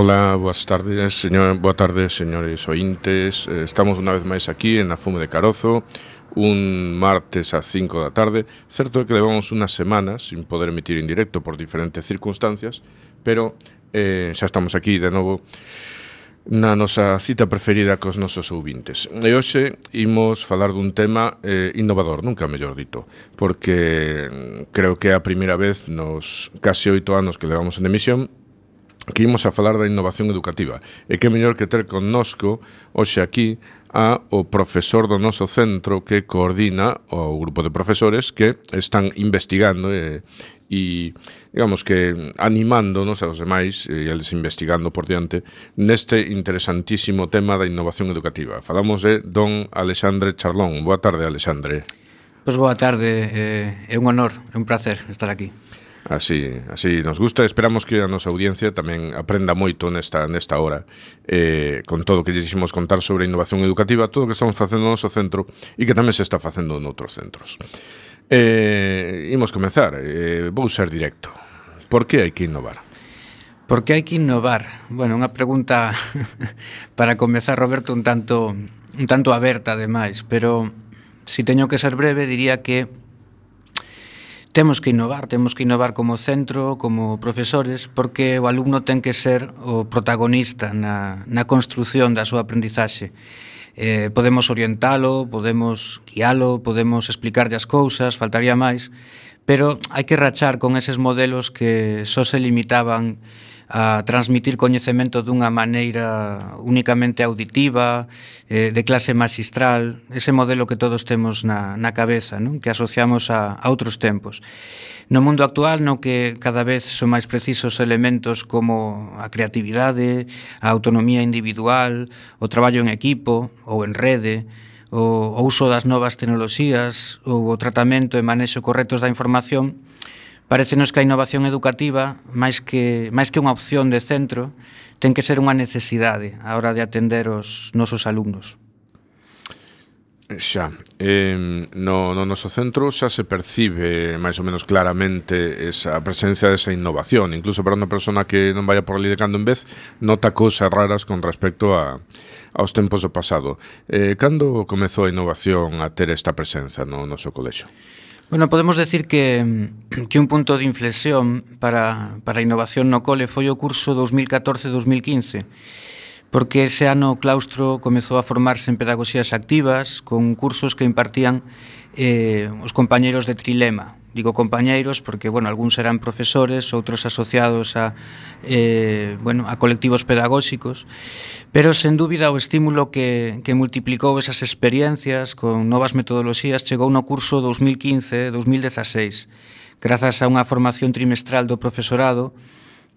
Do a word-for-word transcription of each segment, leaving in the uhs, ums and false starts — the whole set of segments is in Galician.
Ola, boas tardes, señor, boa tarde, señores ointes. Estamos unha vez máis aquí en a Fume de Carozo, un martes ás cinco da tarde. Certo é que levamos unhas semanas sin poder emitir en directo por diferentes circunstancias, pero eh, xa estamos aquí de novo na nosa cita preferida cos nosos ouvintes. E hoxe imos falar dun tema eh, innovador, nunca mellor dito, porque creo que é a primeira vez nos case oito anos que levamos en emisión que imos a falar da innovación educativa. E que mellor que ter connosco hoxe aquí a o profesor do noso centro que coordina o grupo de profesores que están investigando e, e digamos que animándonos aos demais e eles investigando por diante neste interesantísimo tema da innovación educativa. Falamos de don Alexandre Charlón. Boa tarde, Alexandre. Pois boa tarde, eh, é un honor, é un placer estar aquí. Así, así nos gusta. Esperamos que a nosa audiencia tamén aprenda moito nesta, nesta hora eh, con todo o que dixemos contar sobre a innovación educativa, todo o que estamos facendo no noso centro e que tamén se está facendo noutros centros. Eh, imos comenzar, eh, vou ser directo. Por que hai que innovar? Por que hai que innovar? Bueno, unha pregunta para comezar, Roberto, un tanto, un tanto aberta ademais, pero se teño que ser breve diría que Temos que innovar, temos que innovar como centro, como profesores, porque o alumno ten que ser o protagonista na, na construción da súa aprendizaxe. Eh, podemos orientalo, podemos guialo, podemos explicarlle as cousas, faltaría máis, pero hai que rachar con eses modelos que só se limitaban a transmitir coñecemento dunha maneira únicamente auditiva, eh, de clase magistral, ese modelo que todos temos na, na cabeza, non? Que asociamos a, a outros tempos. No mundo actual, no que cada vez son máis precisos elementos como a creatividade, a autonomía individual, o traballo en equipo ou en rede, o, o uso das novas tecnoloxías ou o tratamento e manexo correctos da información, parécenos que a innovación educativa, máis que, máis que unha opción de centro, ten que ser unha necesidade a hora de atender os nosos alumnos. Xa, eh, no, no noso centro xa se percibe máis ou menos claramente esa presencia desa innovación, incluso para unha persona que non vaya por ali de cando en vez, nota cousas raras con respecto a, aos tempos do pasado. Eh, cando comezou a innovación a ter esta presenza no noso colexio? Bueno, podemos decir que, que un punto de inflexión para, para a innovación no cole foi o curso dos mil catorce dos mil quince, porque ese ano o claustro comezou a formarse en pedagogías activas con cursos que impartían eh, os compañeiros de Trilema. Digo compañeiros porque, bueno, algúns eran profesores, outros asociados a, eh, bueno, a colectivos pedagóxicos, pero, sen dúbida, o estímulo que, que multiplicou esas experiencias con novas metodoloxías chegou no curso dos mil quince dos mil dieciséis, grazas a unha formación trimestral do profesorado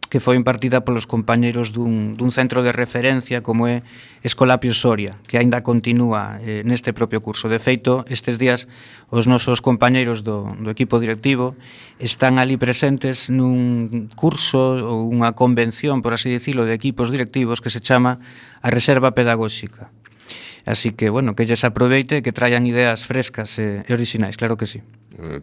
que foi impartida polos compañeiros dun, dun centro de referencia como é Escolapio Soria, que aínda continúa eh, neste propio curso. De feito, estes días os nosos compañeiros do, do equipo directivo están ali presentes nun curso ou unha convención, por así dicilo, de equipos directivos que se chama a Reserva Pedagóxica. Así que, bueno, que lles aproveite e que traian ideas frescas e, e orixinais, claro que sí.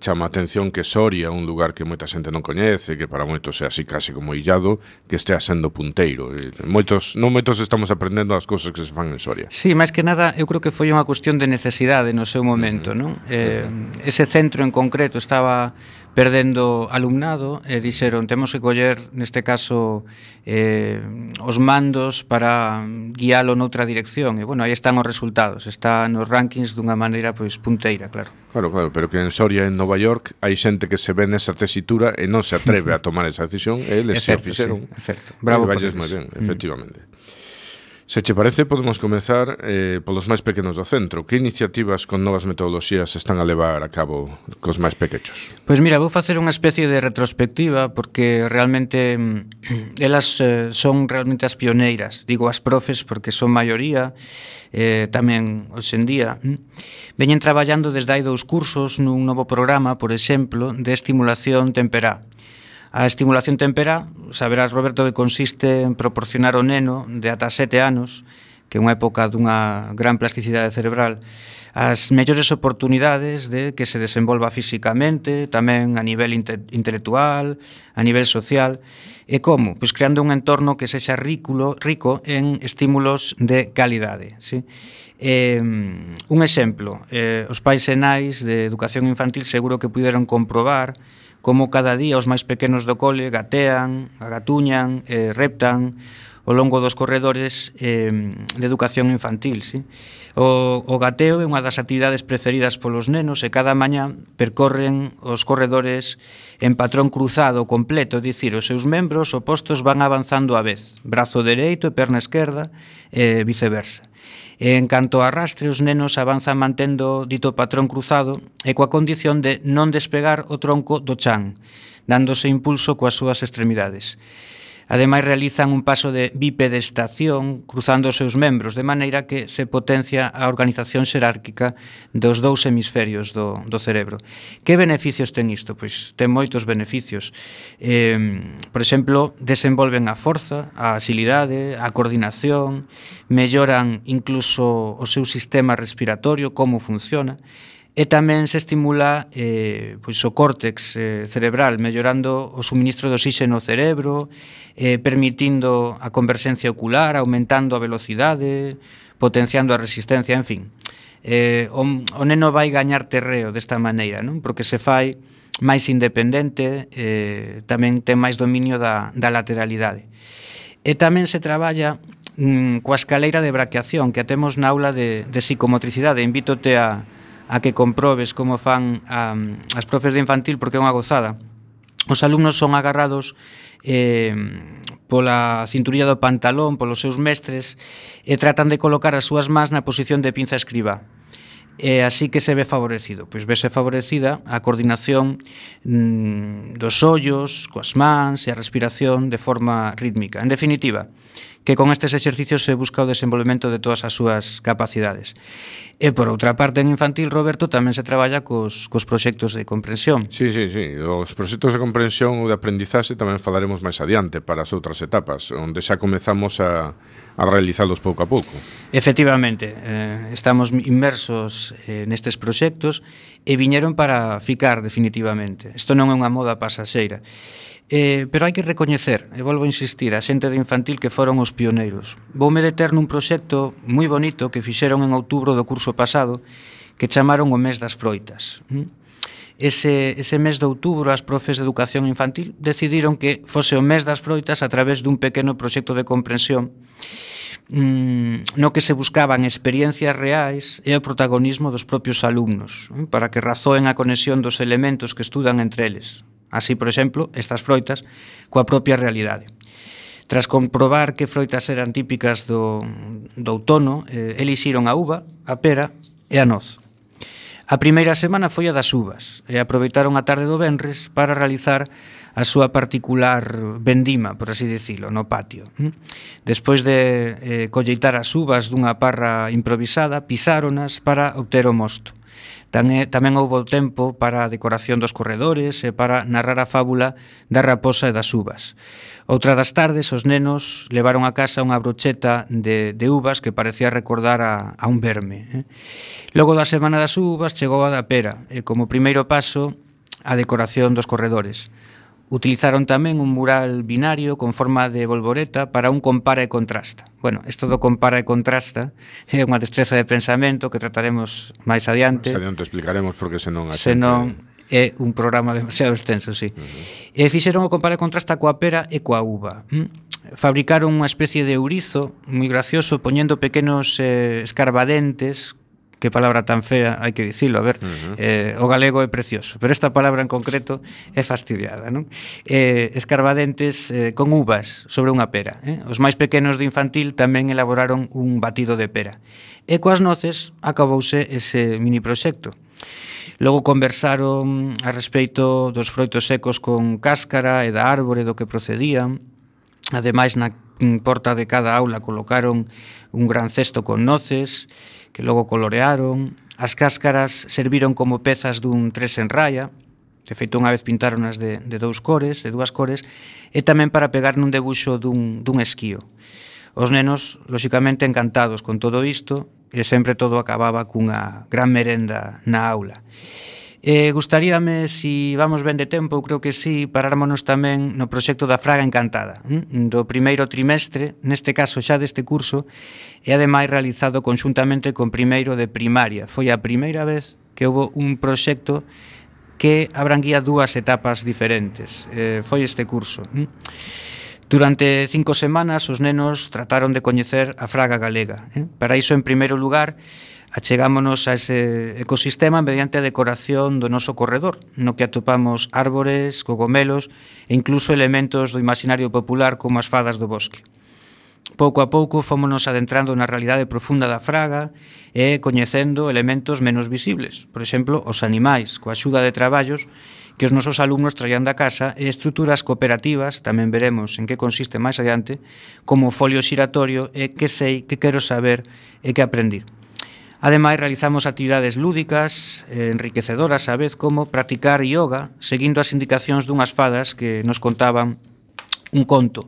Chama a atención que Soria é un lugar que moita xente non coñece, que para moitos é así case como illado, que estea sendo punteiro. Moitos, non moitos estamos aprendendo as cousas que se fan en Soria. Sí, máis que nada, eu creo que foi unha cuestión de necesidade no seu momento, non? Eh, ese centro en concreto estaba perdendo alumnado e dixeron, temos que coller, neste caso, eh, os mandos para guialo noutra dirección. E, bueno, aí están os resultados. Está nos rankings dunha maneira, pois, punteira, claro. Claro, claro, pero que en Soria, en Nova York, hai xente que se ve nesa tesitura e non se atreve a tomar esa decisión, e eles se fixeron. Sí, certo. Bravo por eles. Moi ben, efectivamente. Mm. Se che parece, podemos comezar eh, polos máis pequenos do centro. Que iniciativas con novas metodoloxías están a levar a cabo cos máis pequechos? Pois mira, vou facer unha especie de retrospectiva porque realmente elas eh, son realmente as pioneiras. Digo as profes porque son maioría, eh, tamén hoxe en día. Veñen traballando desde hai dous cursos nun novo programa, por exemplo, de estimulación temperá. A estimulación temperá, saberás, Roberto, que consiste en proporcionar ao neno de ata sete anos que é unha época dunha gran plasticidade cerebral, as mellores oportunidades de que se desenvolva físicamente, tamén a nivel inte intelectual, a nivel social. E como? Pois creando un entorno que sexa rico, rico en estímulos de calidade, ¿sí? Eh, un exemplo, eh, os pais e nais de educación infantil seguro que puderon comprobar como cada día os máis pequenos do cole gatean, agatuñan, eh, reptan ao longo dos corredores eh, de educación infantil, ¿sí? O, o gateo é unha das actividades preferidas polos nenos e cada mañá percorren os corredores en patrón cruzado completo, é dicir, os seus membros opostos van avanzando á vez, brazo dereito e perna esquerda e viceversa. E en canto a arrastre, os nenos avanzan mantendo dito patrón cruzado e coa condición de non despegar o tronco do chan, dándose impulso coas súas extremidades. Ademais, realizan un paso de bipedestación cruzando os seus membros, de maneira que se potencia a organización xerárquica dos dous hemisferios do, do cerebro. Que beneficios ten isto? Pois ten moitos beneficios. Eh, por exemplo, desenvolven a forza, a agilidade, a coordinación, melloran incluso o seu sistema respiratorio, como funciona, e tamén se estimula eh, pois o córtex eh, cerebral, mellorando o suministro de oxígeno ao cerebro, eh, permitindo a converxencia ocular, aumentando a velocidade, potenciando a resistencia, en fin. Eh, o, o neno vai gañar terreo desta maneira, non? Porque se fai máis independente, eh, tamén ten máis dominio da, da lateralidade. E tamén se traballa mm, coa escaleira de braqueación que a temos na aula de, de psicomotricidade. Invítote a a que comprobes como fan a, as profes de infantil, porque é unha gozada. Os alumnos son agarrados eh, pola cinturilla do pantalón, polos seus mestres, e tratan de colocar as súas mans na posición de pinza escribá. E así que se ve favorecido. Pois vese favorecida a coordinación mm, dos ollos, coas mans e a respiración de forma rítmica. En definitiva, que con estes exercicios se busca o desenvolvemento de todas as súas capacidades. E por outra parte, en infantil, Roberto, tamén se traballa cos, cos proxectos de comprensión. Sí, sí, sí. Os proxectos de comprensión ou de aprendizaxe tamén falaremos máis adiante para as outras etapas, onde xa comezamos a, a realizalos pouco a pouco. Efectivamente, eh, estamos inmersos eh, nestes proxectos e viñeron para ficar definitivamente. Isto non é unha moda pasaxeira. Eh, pero hai que recoñecer, e volvo a insistir, a xente de infantil que foron os pioneiros. Voume deter nun proxecto moi bonito que fixeron en outubro do curso pasado, que chamaron o mes das froitas. Ese, ese mes de outubro as profes de educación infantil decidiron que fose o mes das froitas a través dun pequeno proxecto de comprensión no que se buscaban experiencias reais e o protagonismo dos propios alumnos, para que razoen a conexión dos elementos que estudan entre eles. Así, por exemplo, estas froitas coa propia realidade. Tras comprobar que froitas eran típicas do, do outono, eh, elixiron a uva, a pera e a noz. A primeira semana foi a das uvas e aproveitaron a tarde do venres para realizar a súa particular vendima, por así dicilo, no patio. Despois de eh, colleitar as uvas dunha parra improvisada, pisáronas para obter o mosto. Tamén, tamén houbo tempo para a decoración dos corredores e para narrar a fábula da raposa e das uvas. Outra das tardes, os nenos levaron a casa unha brocheta de, de uvas que parecía recordar a, a un verme. Eh? Logo da semana das uvas chegou a da pera e como primeiro paso a decoración dos corredores. Utilizaron tamén un mural binario con forma de bolboreta para un compara e contrasta. Bueno, isto do compara e contrasta é unha destreza de pensamento que trataremos máis adiante. Máis adiante explicaremos porque senón a xente... Senón é un programa demasiado extenso, sí. Uh-huh. E fixeron o compara e contrasta coa pera e coa uva. ¿Mm? Fabricaron unha especie de ourizo moi gracioso poñendo pequenos eh, escarbadentes. Que palabra tan fea, hai que dicilo, a ver, uh-huh. eh, o galego é precioso, pero esta palabra en concreto é fastidiada, non? Eh, escarbadentes eh, con uvas sobre unha pera, eh? Os máis pequenos de infantil tamén elaboraron un batido de pera. E coas noces acabouse ese mini proxecto. Logo conversaron a respeito dos froitos secos con cáscara e da árbore do que procedían. Ademais, na porta de cada aula colocaron un gran cesto con noces, que logo colorearon. As cáscaras serviron como pezas dun tres en raya, de feito unha vez pintaronas de, de dous cores, de dúas cores, e tamén para pegar nun debuxo dun, dun esquío. Os nenos, lóxicamente, encantados con todo isto, e sempre todo acababa cunha gran merenda na aula. Eh, gustaríame, si vamos ben de tempo, eu creo que sí, parármonos tamén no proxecto da Fraga Encantada, hm? do primeiro trimestre, neste caso xa deste curso, e ademais realizado conxuntamente con primeiro de primaria. Foi a primeira vez que houve un proxecto que abranguía dúas etapas diferentes. Eh, foi este curso. Hm? Durante cinco semanas os nenos trataron de coñecer a Fraga galega. Eh? Para iso, en primeiro lugar, achegámonos a ese ecosistema mediante a decoración do noso corredor, no que atopamos árbores, cogomelos e incluso elementos do imaginario popular como as fadas do bosque. Pouco a pouco fómonos adentrando na realidade profunda da Fraga e coñecendo elementos menos visibles, por exemplo, os animais, coa axuda de traballos que os nosos alumnos traían da casa e estruturas cooperativas, tamén veremos en que consiste máis adiante, como o folio xiratorio e que sei, que quero saber e que aprendir. Ademais, realizamos actividades lúdicas, eh, enriquecedoras á vez, como practicar yoga, seguindo as indicacións dunhas fadas que nos contaban un conto.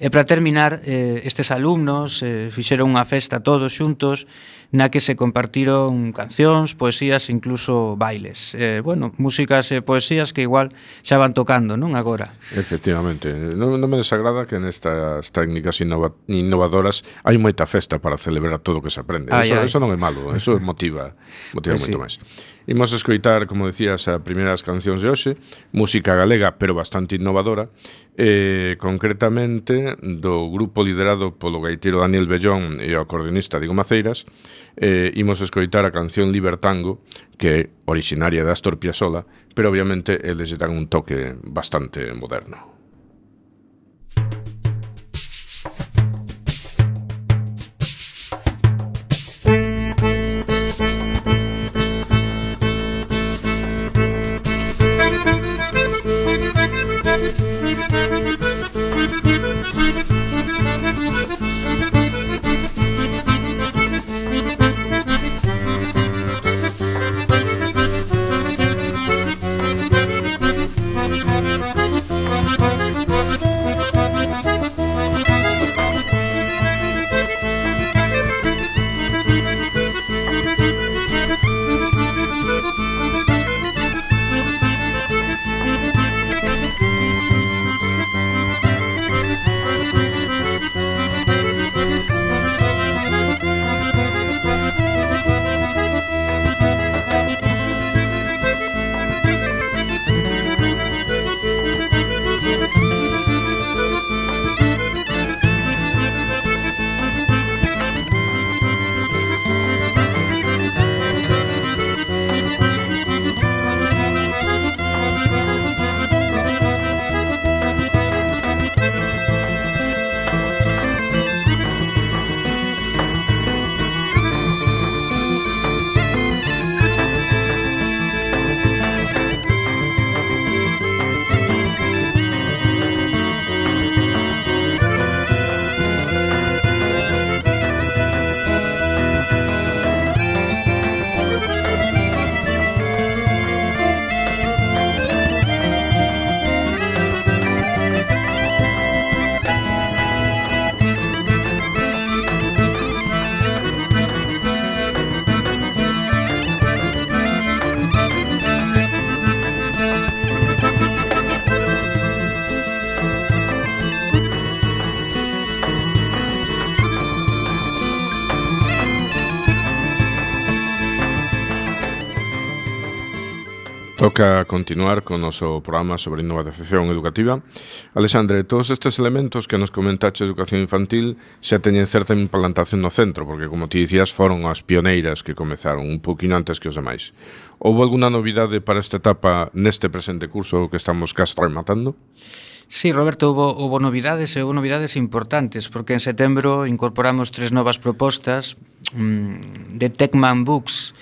E para terminar, eh, estes alumnos eh, fixeron unha festa todos xuntos na que se compartiron cancións, poesías e incluso bailes. Eh, bueno, músicas e poesías que igual xa van tocando, non agora? Efectivamente. Non, non me desagrada que nestas técnicas innova, innovadoras hai moita festa para celebrar todo o que se aprende. Ai, eso, ai. eso non é malo, eso motiva, motiva pues moito sí. máis. Imos escoitar, como decías, as primeiras cancións de hoxe, música galega, pero bastante innovadora, eh, concretamente do grupo liderado polo gaiteiro Daniel Bellón e o acordeonista Diego Maceiras. Eh, imos escoitar a canción Libertango, que é originaria de Astor Piazzolla, pero obviamente eles dan un toque bastante moderno. Toca continuar con o noso programa sobre innovación educativa. Alexandre, todos estes elementos que nos comentaste de educación infantil xa teñen certa implantación no centro, porque, como ti dicías, foron as pioneiras que comezaron un poquinho antes que os demais. Houve alguna novidade para esta etapa neste presente curso que estamos casi rematando? Sí, Roberto, houve, houve novidades e houve novidades importantes, porque en setembro incorporamos tres novas propostas mmm, de Techman Books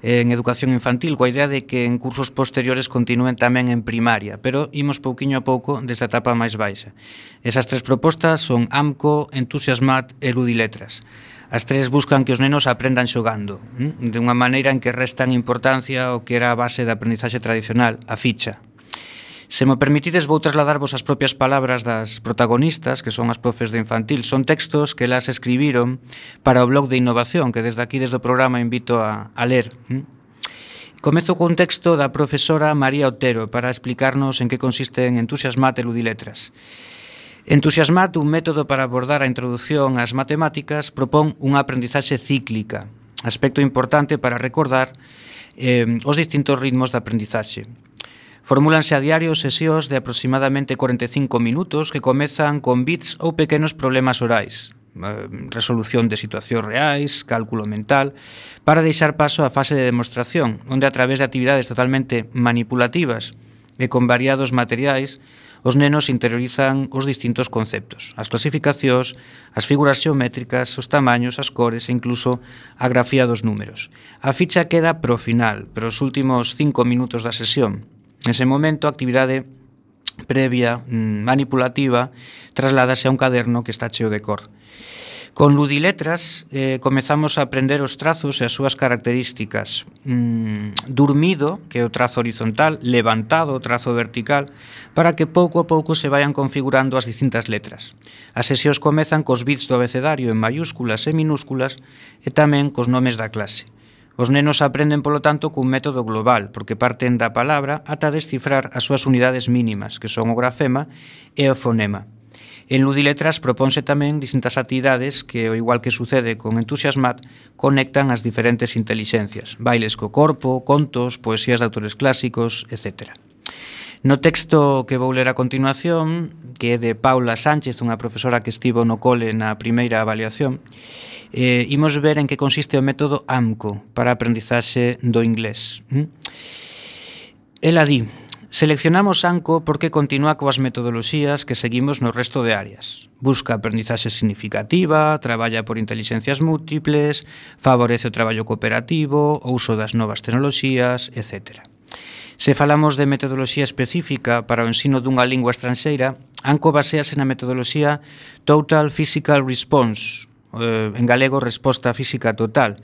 en educación infantil, coa idea de que en cursos posteriores continúen tamén en primaria, pero imos pouquiño a pouco desde a etapa máis baixa. Esas tres propostas son AMCO, Entusiasmat e Ludiletras. As tres buscan que os nenos aprendan xogando, de unha maneira en que restan importancia ao que era a base da aprendizaxe tradicional, a ficha. Se me permitides, vou trasladarvos as propias palabras das protagonistas, que son as profes de infantil. Son textos que elas escribiron para o blog de innovación, que desde aquí, desde o programa, invito a, a ler. Comezo cun texto da profesora María Otero para explicarnos en que consisten Entusiasmat e Ludiletras. Entusiasmat, un método para abordar a introducción ás matemáticas, propón unha aprendizaxe cíclica, aspecto importante para recordar eh, os distintos ritmos de aprendizaxe. Formúlanse a diario sesións de aproximadamente cuarenta e cinco minutos que comezan con bits ou pequenos problemas orais, resolución de situacións reais, cálculo mental, para deixar paso á fase de demostración, onde a través de actividades totalmente manipulativas e con variados materiais, os nenos interiorizan os distintos conceptos, as clasificacións, as figuras xeométricas, os tamaños, as cores e incluso a grafía dos números. A ficha queda pro final, pero os últimos cinco minutos da sesión. Nese momento, a actividade previa, manipulativa, trasládase a un caderno que está cheo de cor. Con Ludiletras eh, comezamos a aprender os trazos e as súas características. Mm, durmido, que é o trazo horizontal, levantado, o trazo vertical, para que pouco a pouco se vayan configurando as distintas letras. As sesións comezan cos bits do abecedario en mayúsculas e minúsculas e tamén cos nomes da clase. Os nenos aprenden, polo tanto, cun método global, porque parten da palabra ata descifrar as súas unidades mínimas, que son o grafema e o fonema. En Ludiletras propónse tamén distintas actividades que, ao igual que sucede con Entusiasmat, conectan as diferentes intelixencias, bailes co corpo, contos, poesías de autores clásicos, etcétera. No texto que vou ler a continuación, que é de Paula Sánchez, unha profesora que estivo no cole na primeira avaliación, eh, imos ver en que consiste o método A M C O para a aprendizaxe do inglés. Ela di: seleccionamos A M C O porque continúa coas metodoloxías que seguimos no resto de áreas. Busca aprendizaxe significativa, traballa por intelixencias múltiples, favorece o traballo cooperativo, o uso das novas tecnoloxías, etcétera. Se falamos de metodoloxía específica para o ensino dunha lingua estranxeira, A M C O basease na metodoloxía Total Physical Response, en galego resposta física total,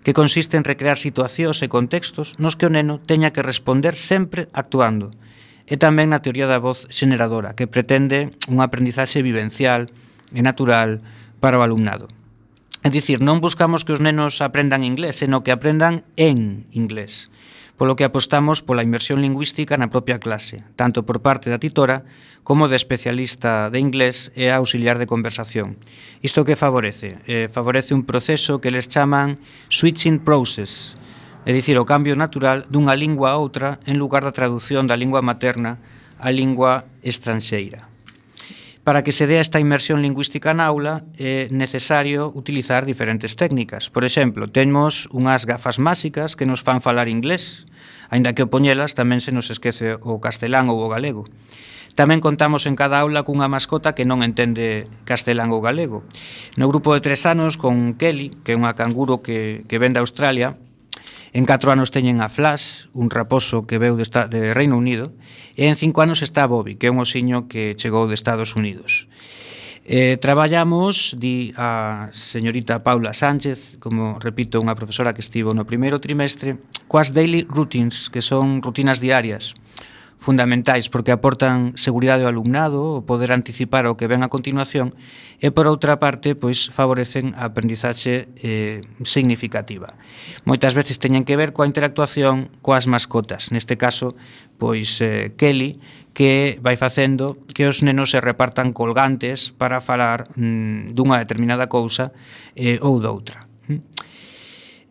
que consiste en recrear situacións e contextos nos que o neno teña que responder sempre actuando, e tamén na teoría da voz xeneradora, que pretende unha aprendizaxe vivencial e natural para o alumnado. É dicir, non buscamos que os nenos aprendan inglés, senón que aprendan en inglés, polo que apostamos pola inmersión lingüística na propia clase, tanto por parte da titora como de especialista de inglés e auxiliar de conversación. Isto que favorece? Eh, favorece un proceso que les chaman switching process, é dicir, o cambio natural dunha lingua a outra en lugar da traducción da lingua materna á lingua estranxeira. Para que se dea esta inmersión lingüística na aula é necesario utilizar diferentes técnicas. Por exemplo, temos unhas gafas máxicas que nos fan falar inglés, aínda que ao poñelas tamén se nos esquece o castelán ou o galego. Tamén contamos en cada aula cunha mascota que non entende castelán ou galego. No grupo de tres anos con Kelly, que é unha canguro que, que ven de Australia. En catro anos teñen a Flash, un raposo que veu de, de Reino Unido, e en cinco anos está Bobby, que é un osiño que chegou de Estados Unidos. Eh, traballamos, di a señorita Paula Sánchez, como repito, unha profesora que estivo no primeiro trimestre, coas daily routines, que son rutinas diarias, fundamentais porque aportan seguridade ao alumnado, o poder anticipar o que ven a continuación, e por outra parte, pois favorecen a aprendizaxe eh, significativa. Moitas veces teñen que ver coa interactuación coas mascotas, neste caso, pois eh, Kelly, que vai facendo que os nenos se repartan colgantes para falar mm, dunha determinada cousa eh, ou doutra.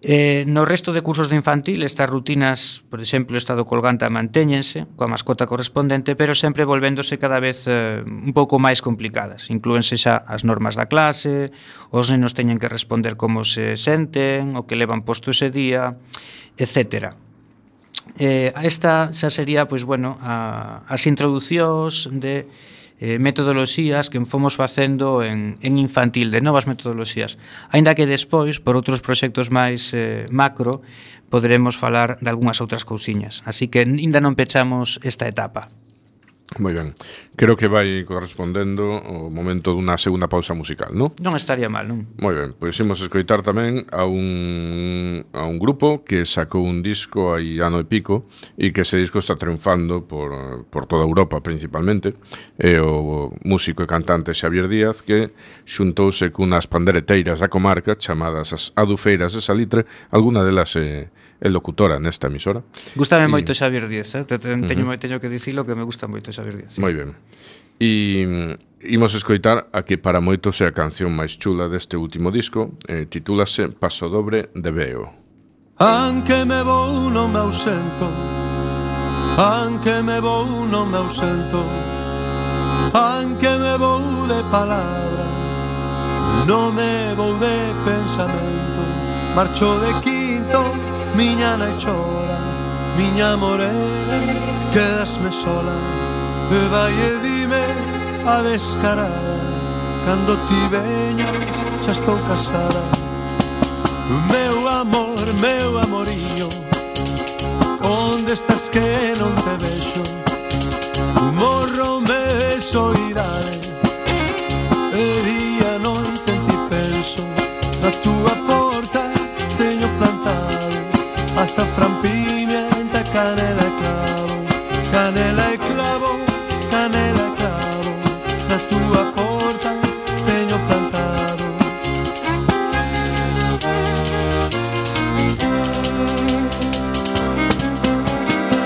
Eh, no resto de cursos de infantil estas rutinas, por exemplo, o estado colgante mantéñense coa mascota correspondente, pero sempre volvéndose cada vez eh, un pouco máis complicadas. Inclúense xa as normas da clase, os nenos teñen que responder como se senten, o que levan posto ese día, etcétera. Eh, esta xa sería, pois, bueno, a, as introducións de Eh, metodoloxías que fomos facendo en, en infantil, de novas metodoloxías, aínda que despois, por outros proxectos máis eh, macro, poderemos falar de algunhas outras cousiñas. Así que aínda non pechamos esta etapa. Moi ben. Creo que vai correspondendo o momento dunha segunda pausa musical, non? Non estaría mal, non? Moi ben, pois imos escoitar tamén a un, a un grupo que sacou un disco hai ano e pico e que ese disco está triunfando por, por toda Europa principalmente. É o músico e cantante Xavier Díaz, que xuntouse cunhas pandereteiras da comarca chamadas as Adufeiras de Salitre, alguna delas é, é locutora nesta emisora. Gústame y... moito Xavier Díaz, eh? Teño, uh-huh. teño que dicilo que me gusta moito Xavier Díaz. Moi ben. E imos escoitar a que para moitos é a canción máis chula deste último disco, eh, titúlase Paso Dobre de Veo. Anche me vou non me ausento, anche me vou non me ausento, anche me vou de palabra, non me vou de pensamento. Marcho de quinto, miña nai chora, miña morena, quedasme sola. E vai e dime a descarada, cando ti veñas xa estou casada. Meu amor, meu amorillo, onde estás que non te vexo? Morro me de soidade, e día noite en ti penso. Na túa porta teño plantado azafrán, pimienta, canela e clavo, canela e clavo, canela e clavo. Na túa porta teño plantado.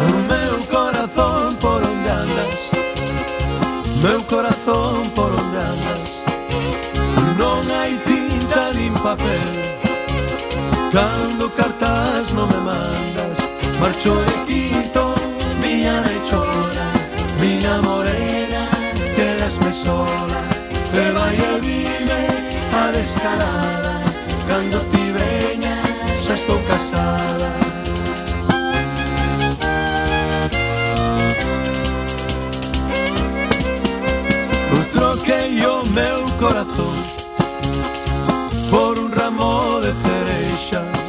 O meu corazón por onde andas, meu corazón por onde andas, non hai tinta nin papel, cando cartas non me mandas. Marcho de quinto, miña nai chora, miña morena, quedasme sola. E vai e dime a descarada, cando ti veñas xa estou casada. Troquei o meu corazón por un ramo de cereixas.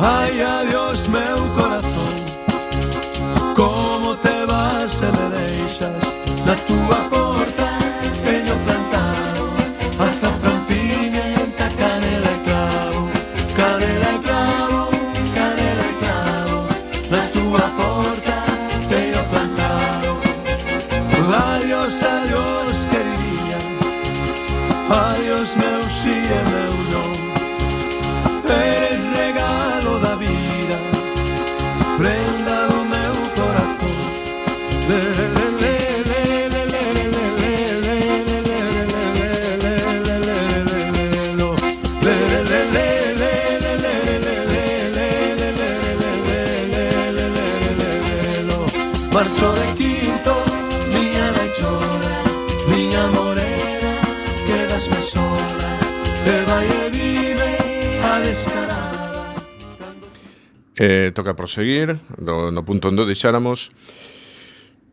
Ai, adiós meu corazón, como te vas e me deixas. Na túa porta teño plantado azafrán, pimienta, canela e clavo, canela e clavo, canela e clavo. Na túa porta teño plantado. Adiós, adiós, queridinha, adiós meu si e meu non. Eres regalo da vida, prenda do meu corazón. Le, le, le, le, le, le, le, le, le, le, le, le, marcho de quinto, miña nai chora, miña morena, quedasme sola. E vai e dime a descarada. Eh, toca proseguir do, no punto onde deixáramos.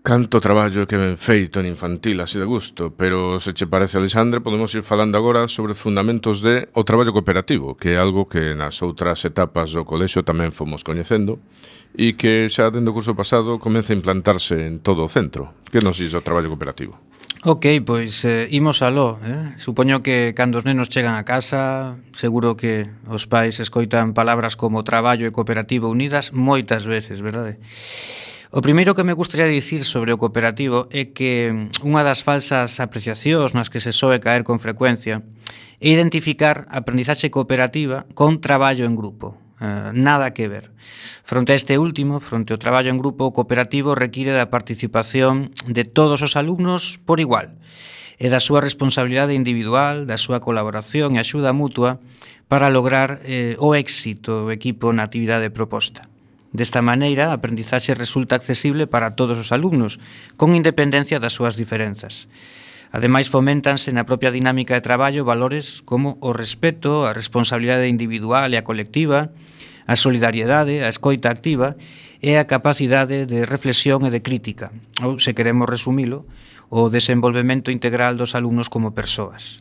Canto traballo que ben feito en infantil, así de gusto, pero se che parece, Alexandre, podemos ir falando agora sobre os fundamentos de o traballo cooperativo, que é algo que nas outras etapas do colexio tamén fomos coñecendo e que xa dende o curso pasado comeza a implantarse en todo o centro. Que nos diz o traballo cooperativo? Ok, pois eh, imos aló, eh? Supoño que cando os nenos chegan a casa, seguro que os pais escoitan palabras como traballo e cooperativo unidas moitas veces, verdade? O primeiro que me gustaría dicir sobre o cooperativo é que unha das falsas apreciacións nas que se soe caer con frecuencia é identificar a aprendizaxe cooperativa con traballo en grupo. Uh, nada que ver. Fronte a este último, fronte ao traballo en grupo, o cooperativo require da participación de todos os alumnos por igual e da súa responsabilidade individual, da súa colaboración e axuda mutua para lograr eh, o éxito do equipo na actividade proposta. Desta maneira, a aprendizaxe resulta accesible para todos os alumnos, con independencia das súas diferenzas. Ademais, foméntanse na propia dinámica de traballo valores como o respeto, a responsabilidade individual e a colectiva, a solidariedade, a escoita activa e a capacidade de reflexión e de crítica, ou, se queremos resumilo, o desenvolvemento integral dos alumnos como persoas.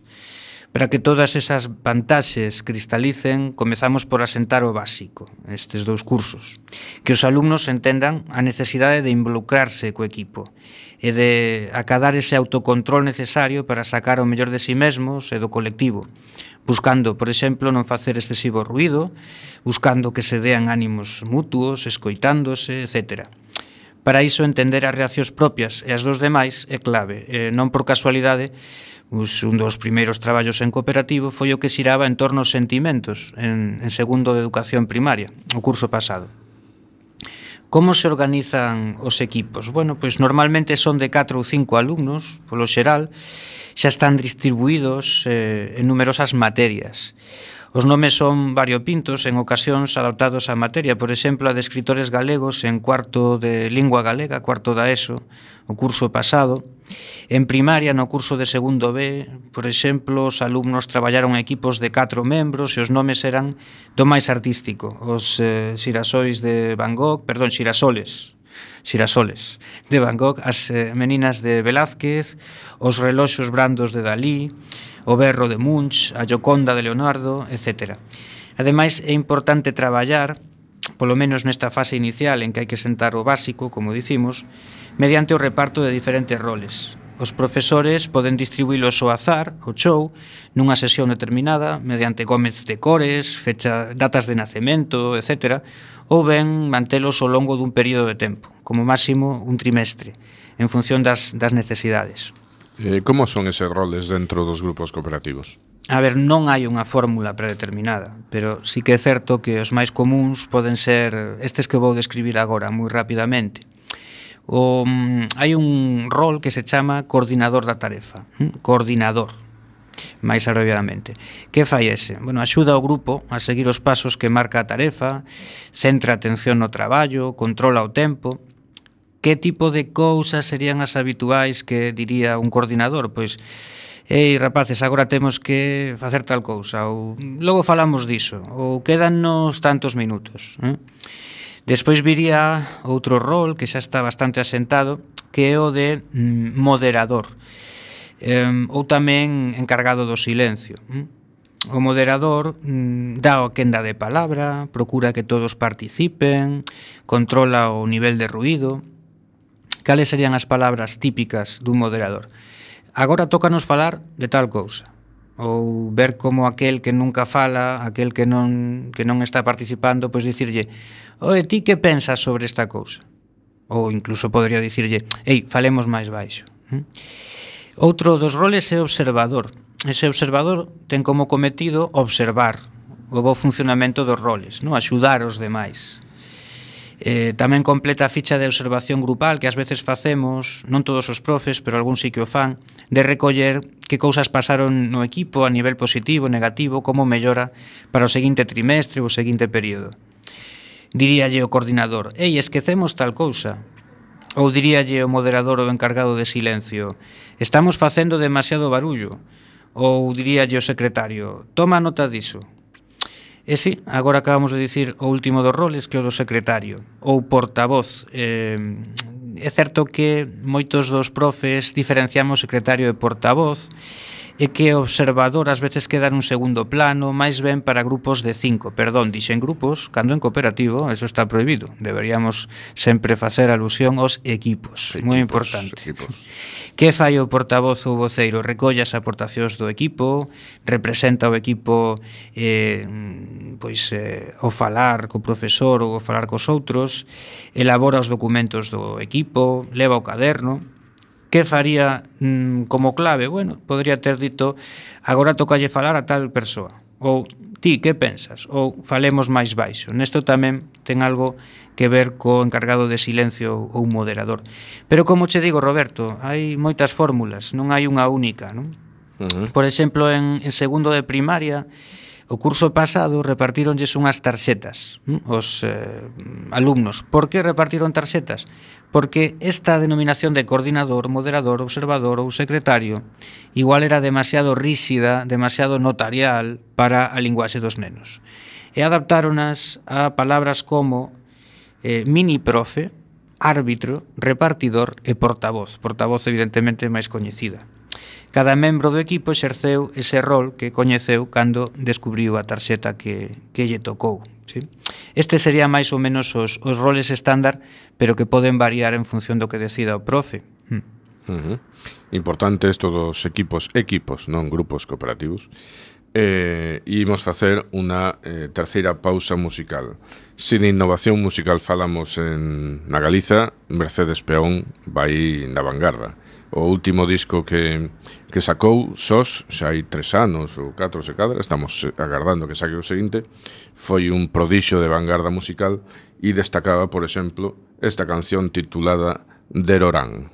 Para que todas esas vantaxes cristalicen, comezamos por asentar o básico, estes dous cursos, que os alumnos entendan a necesidade de involucrarse co equipo e de acadar ese autocontrol necesario para sacar o mellor de si mesmos e do colectivo, buscando, por exemplo, non facer excesivo ruído, buscando que se dean ánimos mutuos, escoitándose, etcétera. Para iso, entender as reaccións propias e as dos demais é clave, e non por casualidade. Us, un dos primeiros traballos en cooperativo foi o que xiraba en torno aos sentimentos en, en segundo de educación primaria, o curso pasado. Como se organizan os equipos? Bueno, pois normalmente son de catro ou cinco alumnos, polo xeral, xa están distribuídos eh, en numerosas materias. Os nomes son variopintos, en ocasións adaptados á materia, por exemplo, a de escritores galegos en cuarto de lingua galega, cuarto da ESO, o curso pasado. En primaria, no curso de segundo B, por exemplo, os alumnos traballaron equipos de catro membros e os nomes eran do máis artístico, os eh, xirasois de Van Gogh, perdón, xirasoles, xirasoles de Van Gogh, as eh, meninas de Velázquez, os reloxos brandos de Dalí, o berro de Munch, a Gioconda de Leonardo, etcétera. Ademais, é importante traballar, polo menos nesta fase inicial en que hai que sentar o básico, como dicimos, mediante o reparto de diferentes roles. Os profesores poden distribuílos ao azar, ao chou, nunha sesión determinada, mediante gómez de cores, fecha, datas de nacemento, etcétera, ou ben mantelos ao longo dun período de tempo, como máximo un trimestre, en función das, das necesidades. Eh, como son eses roles dentro dos grupos cooperativos? A ver, non hai unha fórmula predeterminada, pero sí que é certo que os máis comuns poden ser estes que vou describir agora moi rapidamente. O, hai un rol que se chama coordinador da tarefa, coordinador, máis abreviadamente. Que fai ese? Bueno, axuda ao grupo a seguir os pasos que marca a tarefa, centra a atención no traballo, controla o tempo. Que tipo de cousas serían as habituais que diría un coordinador? Pois, ei, rapaces, agora temos que facer tal cousa, ou logo falamos diso, ou quédanos tantos minutos. Eh? Despois viría outro rol que xa está bastante asentado, que é o de mm, moderador, eh, ou tamén encargado do silencio. Eh? O moderador mm, dá a quenda de palabra, procura que todos participen, controla o nivel de ruído. Cales serían as palabras típicas dun moderador? Agora tócanos falar de tal cousa. Ou ver como aquel que nunca fala, aquel que non, que non está participando, pois dicirlle: oe, ti que pensas sobre esta cousa? Ou incluso podría dicirlle: ei, falemos máis baixo. Outro dos roles é observador. Ese observador ten como cometido observar o bo funcionamento dos roles, non? Axudar os demais. Eh, tamén completa a ficha de observación grupal que ás veces facemos, non todos os profes, pero algún sí que o fan, de recoller que cousas pasaron no equipo a nivel positivo, negativo, como mellora para o seguinte trimestre ou o seguinte período. Diríalle o coordinador: ei, esquecemos tal cousa. Ou diríalle o moderador ou encargado de silencio: estamos facendo demasiado barullo. Ou diríalle o secretario: toma nota diso. E si, agora acabamos de dicir o último dos roles, que é o do secretario, ou portavoz. Eh, é certo que moitos dos profes diferenciamos secretario e portavoz, e que o observador ás veces queda nun segundo plano, máis ben para grupos de cinco. Perdón, dixen grupos, cando en cooperativo, eso está prohibido. Deberíamos sempre facer alusión aos equipos, equipos moi importante. Equipos. Que fai o portavoz ou voceiro? Recolle as aportacións do equipo, representa o equipo eh, pois, eh, ao falar co profesor ou ao falar cos outros, elabora os documentos do equipo, leva o caderno. Que faría mm, como clave? Bueno, podría ter dito: agora tocalle falar a tal persoa. Ou ti, que pensas? Ou falemos máis baixo. Nesto tamén ten algo que ver co encargado de silencio ou moderador. Pero como che digo, Roberto, hai moitas fórmulas, non hai unha única, non? Uh-huh. Por exemplo, en, en segundo de primaria, o curso pasado repartíronlles unhas tarxetas os eh, alumnos. Por que repartiron tarxetas? Porque esta denominación de coordinador, moderador, observador ou secretario igual era demasiado ríxida, demasiado notarial para a linguaxe dos nenos. E adaptáronas a palabras como eh, mini profe, árbitro, repartidor e portavoz. Portavoz, evidentemente, máis coñecida. Cada membro do equipo exerceu ese rol que coñeceu cando descubriu a tarxeta que, que lle tocou. ¿Sí? Este sería máis ou menos os, os roles estándar, pero que poden variar en función do que decida o profe. Hmm. Uh-huh. Importante isto dos equipos, equipos, non grupos cooperativos. Eh, imos facer unha eh, terceira pausa musical. Sin innovación musical falamos en, na Galiza, Mercedes Peón vai na vanguarda. O último disco que, que sacou, Sós, xa hai tres anos ou catro se cadra, estamos agardando que saque o seguinte, foi un prodixio de vanguarda musical e destacaba, por exemplo, esta canción titulada Derorán.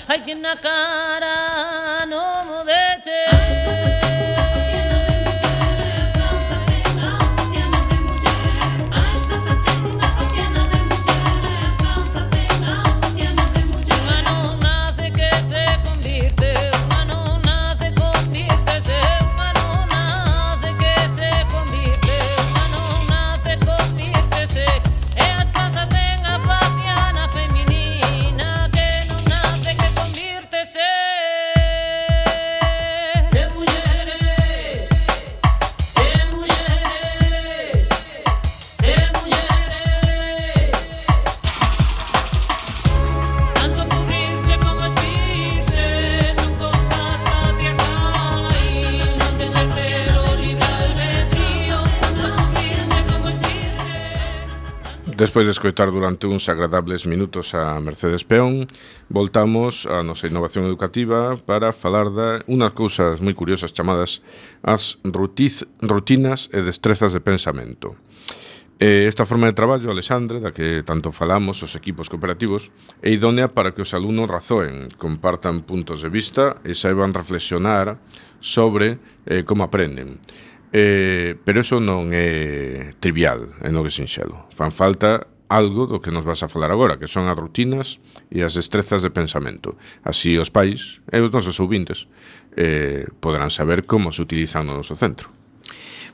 Ay, que na cara no mo deche. Despois de escoitar durante uns agradables minutos a Mercedes Peón, voltamos á nosa innovación educativa para falar de unhas cousas moi curiosas chamadas as rutiz, rutinas e destrezas de pensamento. Eh, esta forma de traballo, Alexandre, da que tanto falamos os equipos cooperativos, é idónea para que os alumnos razoen, compartan puntos de vista e saiban reflexionar sobre eh, como aprenden. Eh, pero eso non é trivial, é no que sinxelo. Fan falta algo do que nos vas a falar agora, que son as rutinas e as destrezas de pensamento. Así os pais e os nosos ouvintes eh, poderán saber como se utilizan no noso centro.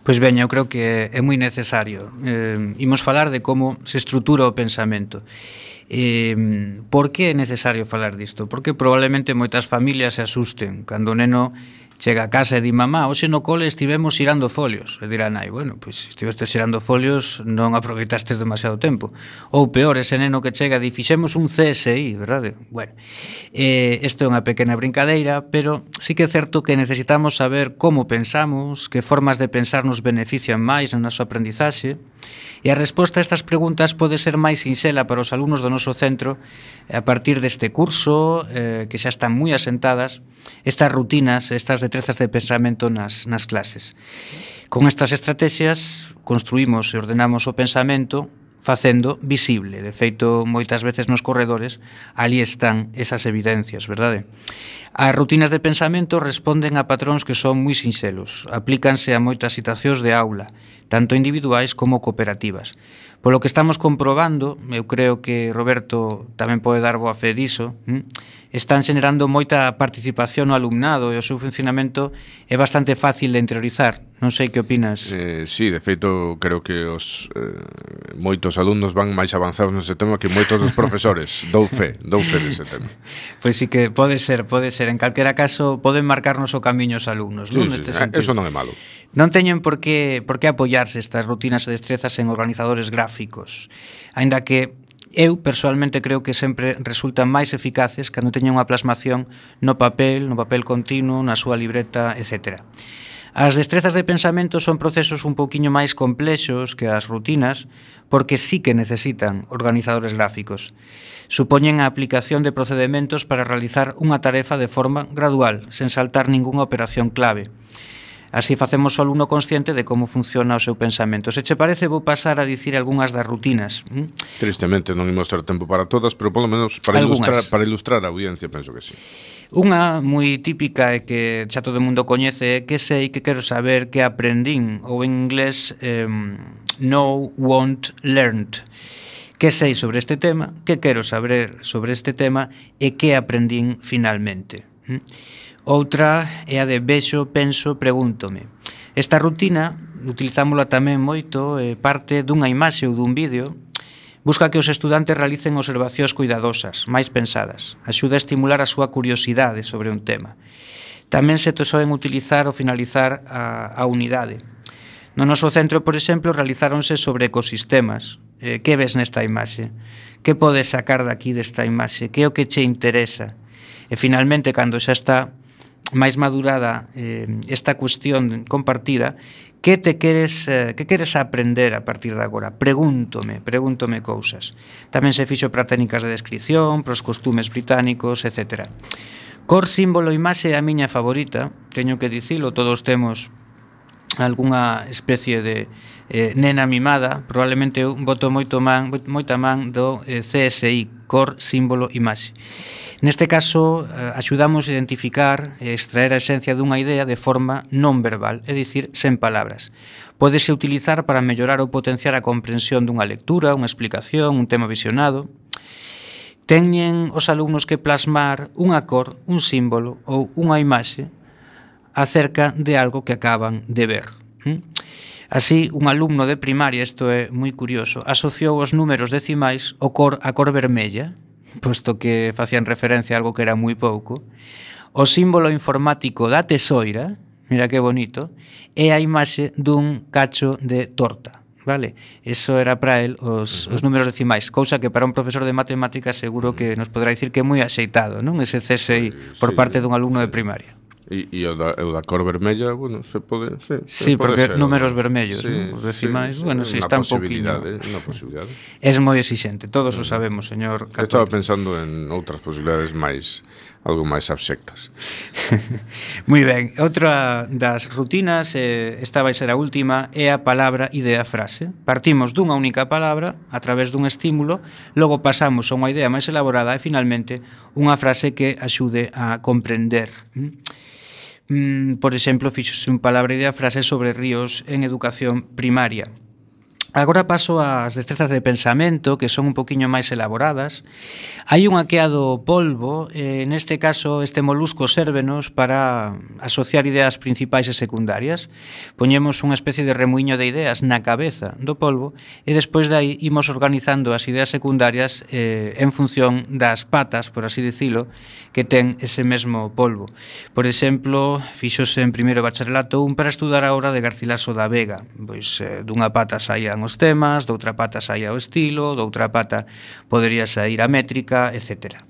Pois ben, eu creo que é moi necesario. Eh, imos falar de como se estrutura o pensamento. Eh, por que é necesario falar disto? Porque probablemente moitas familias se asusten cando o neno chega a casa e di: mamá, hoxe no cole estivemos xirando folios. E dirá nai: bueno, pois estivestes xirando folios, non aproveitastes demasiado tempo. Ou peor, ese neno que chega e di: fixemos un C S I, verdade? Bueno, eh, isto é unha pequena brincadeira, pero sí que é certo que necesitamos saber como pensamos, que formas de pensar nos benefician máis na nosa aprendizaxe, e a resposta a estas preguntas pode ser máis sinxela para os alumnos do noso centro a partir deste curso, eh, que xa están moi asentadas, estas rutinas, estas destrezas de pensamento nas, nas clases. Con estas estrategias construímos e ordenamos o pensamento facendo visible. De feito, moitas veces nos corredores ali están esas evidencias, verdade? As rutinas de pensamento responden a patróns que son moi sinxelos. Aplícanse a moitas situacións de aula, tanto individuais como cooperativas. Polo que estamos comprobando, eu creo que Roberto tamén pode dar boa fe diso, están xenerando moita participación no alumnado e o seu funcionamento é bastante fácil de interiorizar. Non sei que opinas. Eh, sí, de feito, creo que os eh, moitos alumnos van máis avanzados nese tema que moitos dos profesores. Dou fe, dou fe dese tema. Pois sí que pode ser, pode ser. En calquera caso, poden marcarnos o camiño os alumnos, Sí, non? sí, Neste eh, sentido. eso non é malo. Non teñen por que, por que apoiarse estas rutinas e destrezas en organizadores gráficos. Aínda que eu, persoalmente, creo que sempre resultan máis eficaces cando teñen unha plasmación no papel, no papel continuo, na súa libreta, etcétera. As destrezas de pensamento son procesos un pouquiño máis complexos que as rutinas porque sí que necesitan organizadores gráficos. Supoñen a aplicación de procedementos para realizar unha tarefa de forma gradual, sen saltar ningunha operación clave. Así facemos o alumno consciente de como funciona o seu pensamento. Se che parece, vou pasar a dicir algunhas das rutinas. Tristemente non imos ter tempo para todas, pero polo menos para ilustrar, para ilustrar a audiencia penso que sí. Unha moi típica e que xa todo o mundo coñece é que sei, que quero saber, que aprendín, ou en inglés eh, know, want, learned. Que sei sobre este tema, que quero saber sobre este tema e que aprendín finalmente. Outra é a de vexo, penso, pregúntome. Esta rutina utilizámola tamén moito, eh, parte dunha imaxe ou dun vídeo. Busca que os estudantes realicen observacións cuidadosas, máis pensadas. Axuda a estimular a súa curiosidade sobre un tema. Tamén se soen utilizar ao finalizar a, a unidade. No noso centro, por exemplo, realizáronse sobre ecosistemas. Eh, que ves nesta imaxe? Que podes sacar daqui desta imaxe? Que é o que che interesa? E finalmente, cando xa está máis madurada eh, esta cuestión compartida, que te queres, eh, que queres aprender a partir de agora? Pregúntome, pregúntome cousas. Tamén se fixo para técnicas de descripción, para os costumes británicos, etcétera. Cor, símbolo, imaxe é a miña favorita, teño que dicilo, todos temos algunha especie de eh, nena mimada, probablemente eu boto moito man, moita man do eh, C S I, cor, símbolo, imaxe. Neste caso, eh, axudamos a identificar e extraer a esencia dunha idea de forma non verbal, é dicir, sen palabras. Pódese utilizar para mellorar ou potenciar a comprensión dunha lectura, unha explicación, un tema visionado. Teñen os alumnos que plasmar unha cor, un símbolo ou unha imaxe acerca de algo que acaban de ver. Así, un alumno de primaria, isto é moi curioso, asociou os números decimais ao cor, a cor vermella, posto que facían referencia a algo que era moi pouco, o símbolo informático da tesoira, mira que bonito, e a imaxe dun cacho de torta, vale? Eso era para el os, os números decimais, cousa que para un profesor de matemáticas seguro que nos podrá dicir que é moi axeitado, non? Ese C S I por parte dun alumno de primaria. E, e o, da, o da cor vermella, bueno, se pode... Sí, sí se pode porque ser, números ¿no? vermellos, sí, ¿no? Os decimais, sí, bueno, si sí, está un poquinho... Unha posibilidade. Es moi exixente, todos o sabemos, señor Catón. Estaba pensando en outras posibilidades máis, algo máis abxectas. Moi ben, outra das rutinas, eh, esta vai ser a última, é a palabra, idea, frase. Partimos dunha única palabra, a través dun estímulo, logo pasamos a unha idea máis elaborada e, finalmente, unha frase que axude a comprender. Mm, por exemplo, fixose un palabra, idea, frase sobre ríos en educación primaria. Agora paso ás destrezas de pensamento, que son un poquinho máis elaboradas. Hai unha que é a do polvo, eh, neste caso este molusco sérvenos para asociar ideas principais e secundarias. Poñemos unha especie de remuiño de ideas na cabeza do polvo e despois de aí imos organizando as ideas secundarias eh, en función das patas, por así dicilo, que ten ese mesmo polvo. Por exemplo, fixose en primeiro bacharelato un para estudar a obra de Garcilaso da Vega. Pois eh, dunha pata saían os temas, doutra pata saía o estilo, doutra pata podería sair a métrica, etcétera.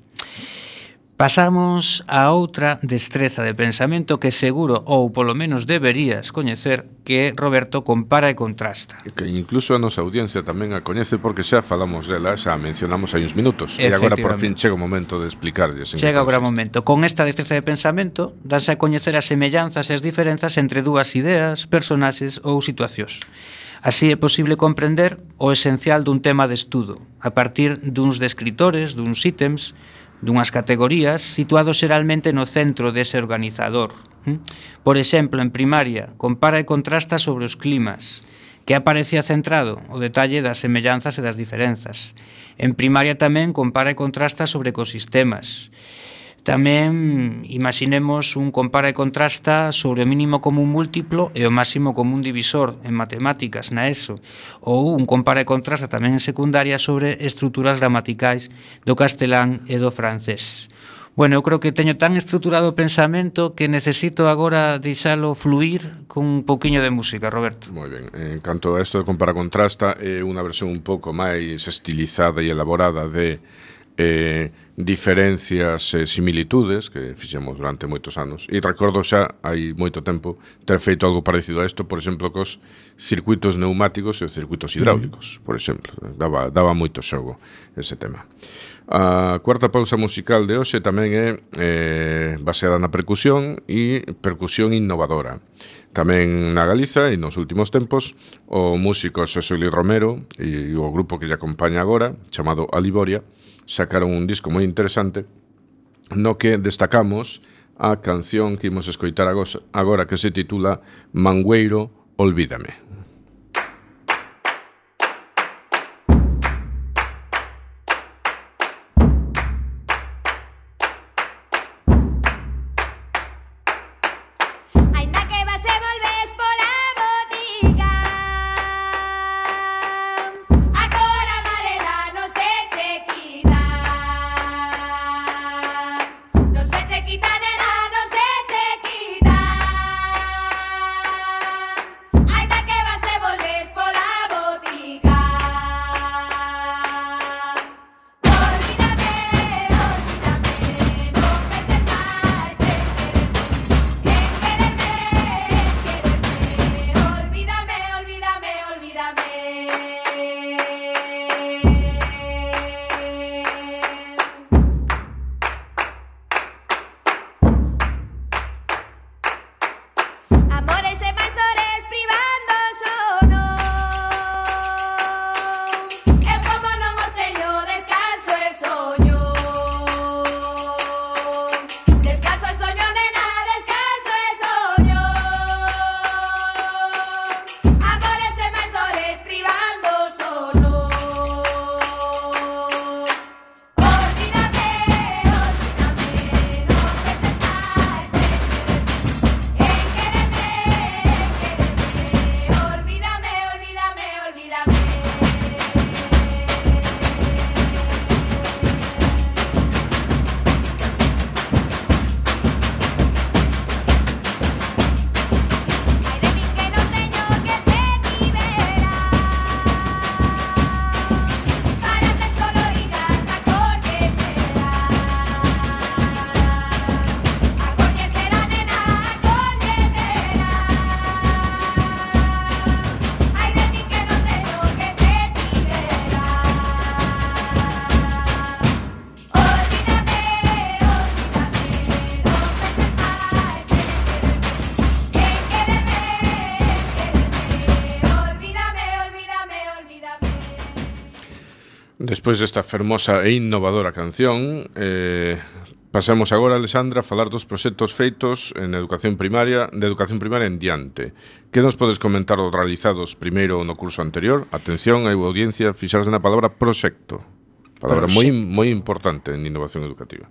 Pasamos a outra destreza de pensamento que seguro, ou polo menos deberías coñecer, que Roberto compara e contrasta. Que incluso a nosa audiencia tamén a coñece porque xa falamos dela, xa a mencionamos hai uns minutos. E agora por fin chega o momento de explicarlles. Chega o gran momento. Con esta destreza de pensamento danse a coñecer as semellanzas e as diferenzas entre dúas ideas, personaxes ou situacións. Así é posible comprender o esencial dun tema de estudo, a partir duns descritores, duns ítems, dunhas categorías, situados xeralmente no centro dese organizador. Por exemplo, en primaria, compara e contrasta sobre os climas, que aparecía centrado o detalle das semellanzas e das diferenzas. En primaria tamén compara e contrasta sobre ecosistemas. Tamén imaginemos un compara e contrasta sobre o mínimo común múltiplo e o máximo común divisor en matemáticas na ESO, ou un compara e contrasta tamén en secundaria sobre estruturas gramaticais do castelán e do francés. Bueno, eu creo que teño tan estruturado o pensamento que necesito agora deixalo fluir con un pouquiño de música, Roberto. Moi ben, en canto a isto de compara contrasta, é unha versión un pouco máis estilizada e elaborada de eh, diferencias e similitudes que fixemos durante moitos anos, e recordo xa hai moito tempo ter feito algo parecido a isto, por exemplo, cos circuitos neumáticos e os circuitos hidráulicos, por exemplo, daba, daba moito xogo ese tema. A cuarta pausa musical de hoxe tamén é eh, baseada na percusión e percusión innovadora. Tamén na Galiza e nos últimos tempos o músico Xosé Luis Romero e o grupo que lle acompaña agora, chamado Aliboria, sacaron un disco moi interesante no que destacamos a canción que imos escoitar agora, que se titula Mangueiro, Olvídame. Despois desta fermosa e innovadora canción, eh, pasamos agora, Alexandra, a falar dos proxectos feitos en educación primaria, de educación primaria en diante. Que nos podes comentar os realizados primeiro no curso anterior? Atención, a audiencia, fixarse na palabra proxecto. Palabra moi moi importante en innovación educativa.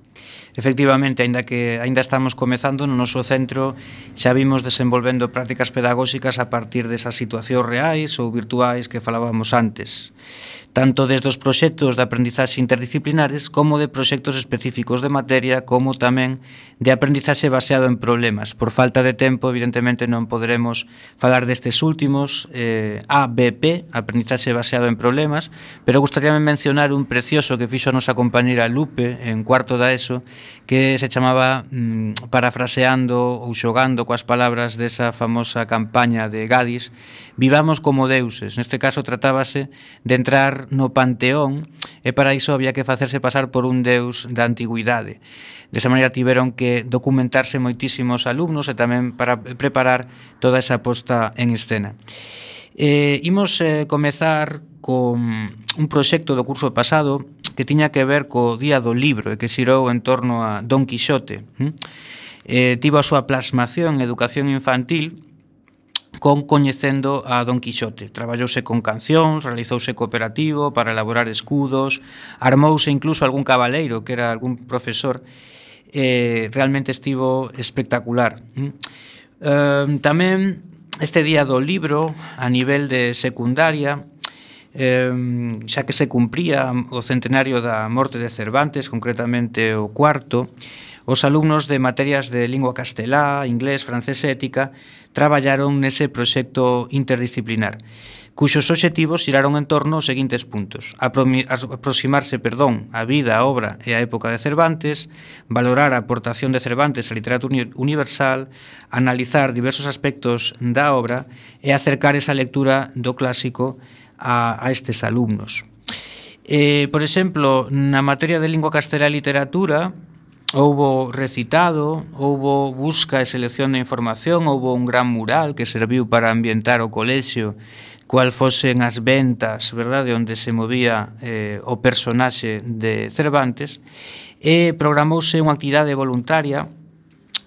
Efectivamente, aínda que aínda estamos comezando no noso centro, xa vimos desenvolvendo prácticas pedagóxicas a partir desas situacións reais ou virtuais que falábamos antes, tanto desde os proxectos de aprendizaxe interdisciplinares como de proxectos específicos de materia, como tamén de aprendizaxe baseado en problemas. Por falta de tempo, evidentemente, non poderemos falar destes últimos, eh, A B P, aprendizaxe baseado en problemas, pero gustaríame mencionar un precioso que fixo a nosa compañera Lupe en cuarto da ESO, que se chamaba, mmm, parafraseando ou xogando coas palabras desa famosa campaña de Gadis, Vivamos como deuses. Neste caso tratábase de entrar no panteón e para iso había que facerse pasar por un deus da antigüidade. Desa maneira tiveron que documentarse moitísimos alumnos e tamén para preparar toda esa posta en escena. Eh, imos eh, comezar con un proxecto do curso pasado que tiña que ver co Día do Libro e que xirou en torno a Don Quixote. Eh, tivo a súa plasmación en educación infantil con Coñecendo a Don Quixote. Traballouse con cancións, realizouse cooperativo para elaborar escudos, armouse incluso algún cabaleiro, que era algún profesor, eh, realmente estivo espectacular. Eh, tamén este día do libro, a nivel de secundaria, eh, xa que se cumpría o centenario da morte de Cervantes, concretamente o cuarto, os alumnos de materias de lingua castelá, inglés, francés e ética traballaron nese proxecto interdisciplinar, cuxos obxectivos xiraron en torno aos seguintes puntos: aproximarse, perdón, a vida, a obra e a época de Cervantes, valorar a aportación de Cervantes á literatura universal, analizar diversos aspectos da obra e acercar esa lectura do clásico a, a estes alumnos. Eh, por exemplo, na materia de lingua castelá e literatura, houbo recitado, houbo busca e selección de información, houbo un gran mural que serviu para ambientar o colexio cual fosen as ventas, verdade, onde se movía eh, o personaxe de Cervantes, e programouse unha actividade voluntaria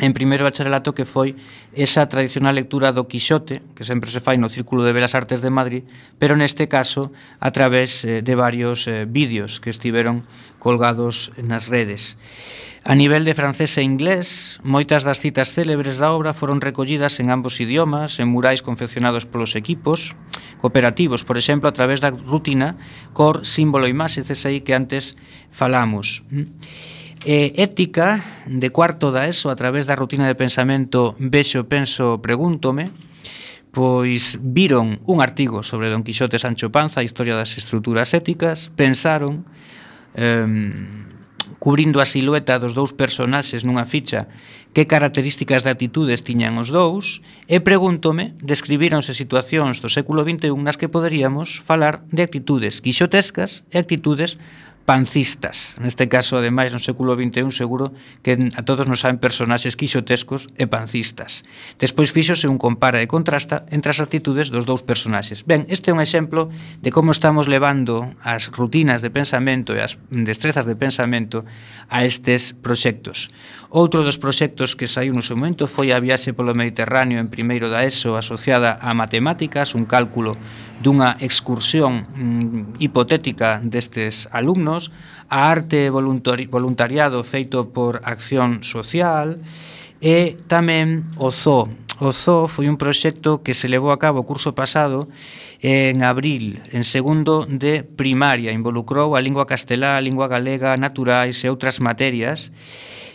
en primeiro bacharelato que foi esa tradicional lectura do Quixote, que sempre se fai no Círculo de Belas Artes de Madrid, pero neste caso a través eh, de varios eh, vídeos que estiveron colgados nas redes. A nivel de francés e inglés, moitas das citas célebres da obra foron recollidas en ambos idiomas, en murais confeccionados polos equipos cooperativos, por exemplo, a través da rutina Cor, Símbolo, Imaxe, C S I, que antes falamos. E ética, de cuarto da ESO, a través da rutina de pensamento Vexo, Penso, Pregúntome, pois viron un artigo sobre Don Quixote Sancho Panza, a historia das estruturas éticas, pensaron, eh, cubrindo a silueta dos dous personaxes nunha ficha, que características de atitudes tiñan os dous, e Pregúntome, describíronse situacións do século vinte e un nas que poderíamos falar de actitudes quixotescas e actitudes pancistas. Neste caso, ademais, no século vinte e un, seguro que a todos nos saben personaxes quixotescos e pancistas. Despois fíxose un compara e contrasta entre as actitudes dos dous personaxes. Ben, este é un exemplo de como estamos levando as rutinas de pensamento e as destrezas de pensamento a estes proxectos. Outro dos proxectos que saiu no seu momento foi a viaxe polo Mediterráneo en primeiro da ESO asociada a matemáticas, un cálculo dunha excursión mm, hipotética destes alumnos, a arte voluntari voluntariado feito por Acción Social e tamén o zoo. O zoo foi un proxecto que se levou a cabo o curso pasado en abril, en segundo de primaria. Involucrou a lingua castelá, a lingua galega, naturais e outras materias.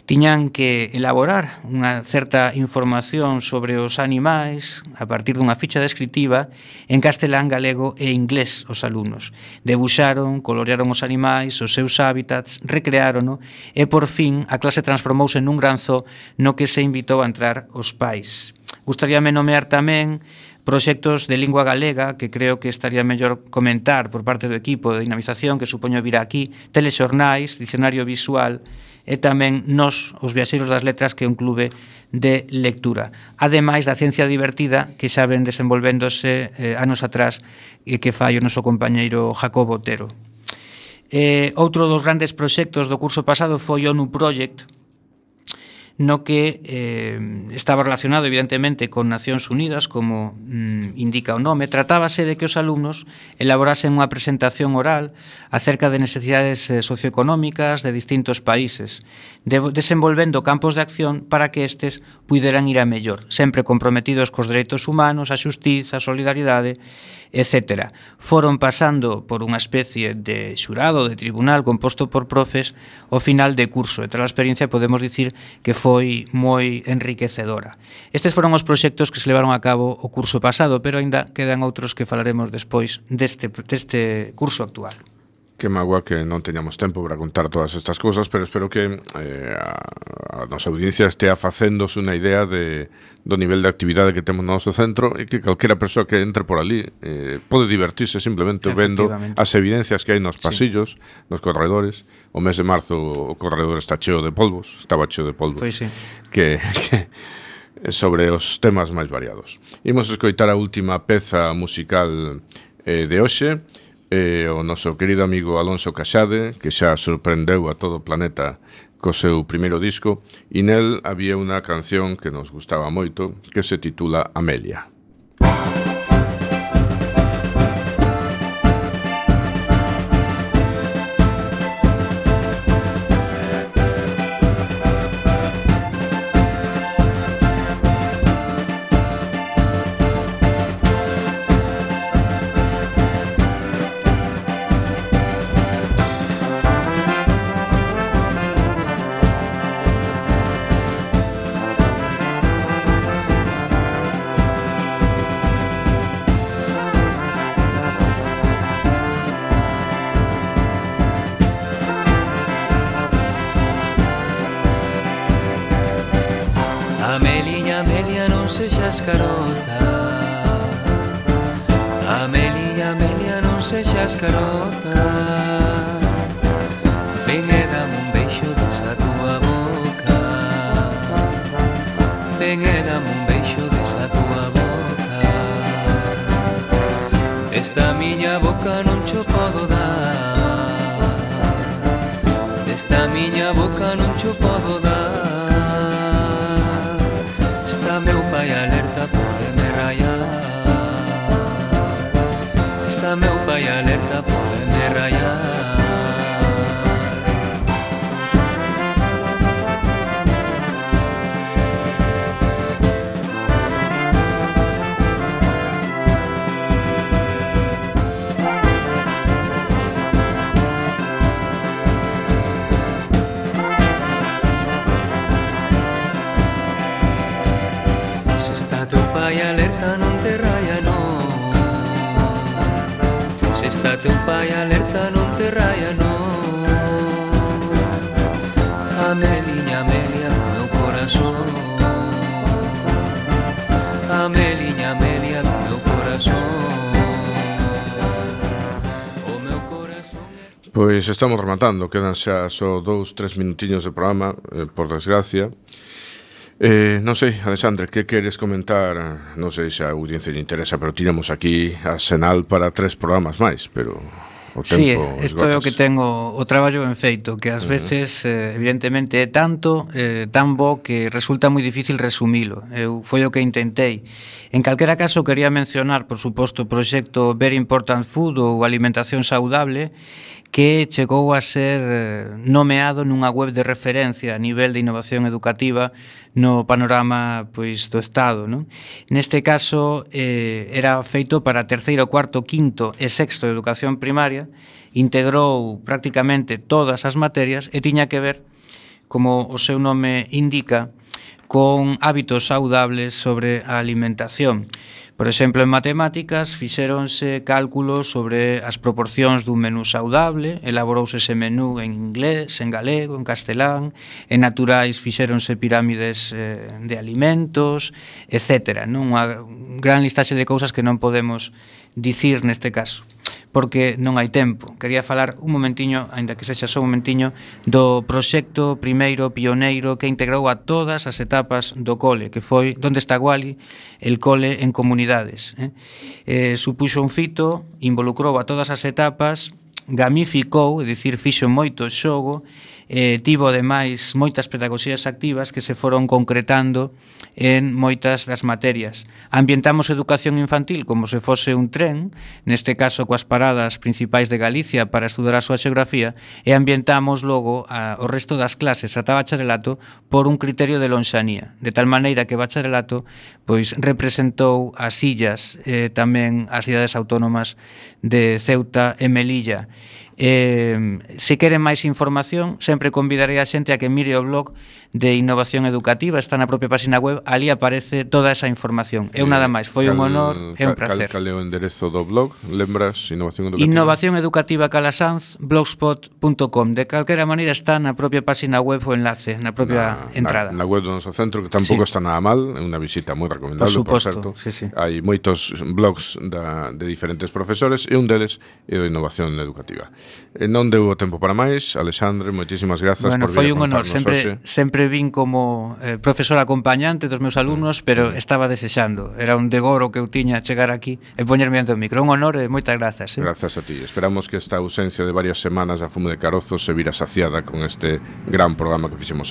Tiñan que elaborar unha certa información sobre os animais a partir dunha ficha descritiva en castelán, galego e inglés os alumnos. Debuxaron, colorearon os animais, os seus hábitats, recreárono e, por fin, a clase transformouse nun gran zoo no que se invitou a entrar os pais. Gustaríame nomear tamén proxectos de lingua galega que creo que estaría mellor comentar por parte do equipo de dinamización que supoño vir aquí, telexornais, dicionario visual e tamén Nós, os viaxeiros das letras, que é un clube de lectura. Ademais da ciencia divertida que xa ven desenvolvéndose eh, anos atrás e que fai o noso compañeiro Jacobo Otero. Eh, outro dos grandes proxectos do curso pasado foi o ONU Project, no que eh, estaba relacionado evidentemente con Nacións Unidas, como mm, indica o nome. Tratábase de que os alumnos elaborasen unha presentación oral acerca de necesidades eh, socioeconómicas de distintos países, de, desenvolvendo campos de acción para que estes puideran ir a mellor, sempre comprometidos cos dereitos humanos, a xustiza, a solidaridade, etcétera. Foron pasando por unha especie de xurado, de tribunal composto por profes ao final de curso, e tras a experiencia podemos dicir que foi moi enriquecedora. Estes foron os proxectos que se levaron a cabo o curso pasado, pero aínda quedan outros que falaremos despois deste, deste curso actual. Que magua que non teñamos tempo para contar todas estas cousas, pero espero que eh, a, a nosa audiencia estea facéndose unha idea de, do nivel de actividade que temos no noso centro e que calquera persoa que entre por ali eh, pode divertirse simplemente vendo as evidencias que hai nos pasillos, sí, nos corredores. O mes de marzo o corredor está cheo de polvos, estaba cheo de polvos, pois sí, que, que sobre os temas máis variados. Imos escoitar a última peza musical eh, de hoxe, eh, o noso querido amigo Alonso Caxade, que xa sorprendeu a todo o planeta co seu primeiro disco, e nel había unha canción que nos gustaba moito, que se titula Amelia. Ameliña, Amelia, non sexas carota. Ameliña, Amelia, non sexas carota. Ven e dame un beixo desa tua boca. Ven e dame un beixo desa tua boca. Esta miña boca non cho podo dar. Esta miña boca non cho podo dar. Está meu pai alerta, pódeme rayar. Está meu pai alerta, pódeme rayar. Se está teu pai alerta, non te raya, non. Se está teu pai alerta, non te raya, non. Ameliña, Amelia, do meu corazón. Ameliña, Amelia, do meu corazón. O meu corazón. Pois estamos rematando, quedan xa só dous, tres minutiños de programa, eh, por desgracia. Eh, non sei, Alexandre, que queres comentar? Non sei se a audiencia lle interesa, pero tiramos aquí a Senal para tres programas máis, pero o tempo... Sí, isto é o que tengo o traballo ben feito, que ás veces, eh, evidentemente, é tanto, eh, tan bo que resulta moi difícil resumilo. Eu foi o que intentei. En calquera caso, quería mencionar, por suposto, o proxecto Very Important Food ou Alimentación Saudable, que chegou a ser nomeado nunha web de referencia a nivel de innovación educativa no panorama pois do Estado, non? Neste caso eh, era feito para terceiro, cuarto, quinto e sexto de educación primaria, integrou prácticamente todas as materias e tiña que ver, como o seu nome indica, con hábitos saudables sobre a alimentación. Por exemplo, en matemáticas fixéronse cálculos sobre as proporcións dun menú saudable, elaborouse ese menú en inglés, en galego, en castelán, en naturais fixéronse pirámides eh, de alimentos, etcétera. Non? Unha gran listaxe de cousas que non podemos dicir neste caso, porque non hai tempo. Quería falar un momentiño, aínda que sexa só un momentiño, do proxecto primeiro pioneiro que integrou a todas as etapas do cole, que foi Donde está Wally, el cole en comunidades. Eh? Eh, supuxo un fito, involucrou a todas as etapas, gamificou, é dicir, fixo moito xogo, eh, tivo ademais moitas pedagogías activas que se foron concretando en moitas das materias. Ambientamos educación infantil como se fose un tren, neste caso coas paradas principais de Galicia para estudar a súa xeografía, e ambientamos logo a, o resto das clases ata bacharelato por un criterio de lonxanía, de tal maneira que bacharelato pois representou as illas, eh, tamén as cidades autónomas de Ceuta e Melilla. Eh, se queren máis información, sempre convidarei a xente a que mire o blog de Innovación Educativa, está na propia página web, ali aparece toda esa información. Eu nada máis, foi un honor e un placer. Cal é o enderezo do blog? Lembras? Innovación Educativa? Innovación Educativa Calasanz, blogspot punto com. De calquera maneira está na propia página web o enlace, na propia na, entrada. Na, na web do noso centro, que tampouco sí. está nada mal, é unha visita moi recomendable, por, por certo. Sí, sí. Hai moitos blogs da, de diferentes profesores e un deles é o Innovación Educativa. E non deu o tempo para máis, Alexandre, moitísimas grazas bueno, por vir a contarnos. Foi un honor, sempre, sempre vin como eh, profesor acompañante dos meus alumnos, mm. pero estaba desexando, era un degoro que eu tiña chegar aquí e poñerme ante o micro. Un honor e moitas grazas. Eh? Grazas a ti. Esperamos que esta ausencia de varias semanas da Fume de Carozo se vira saciada con este gran programa que fixemos hoy.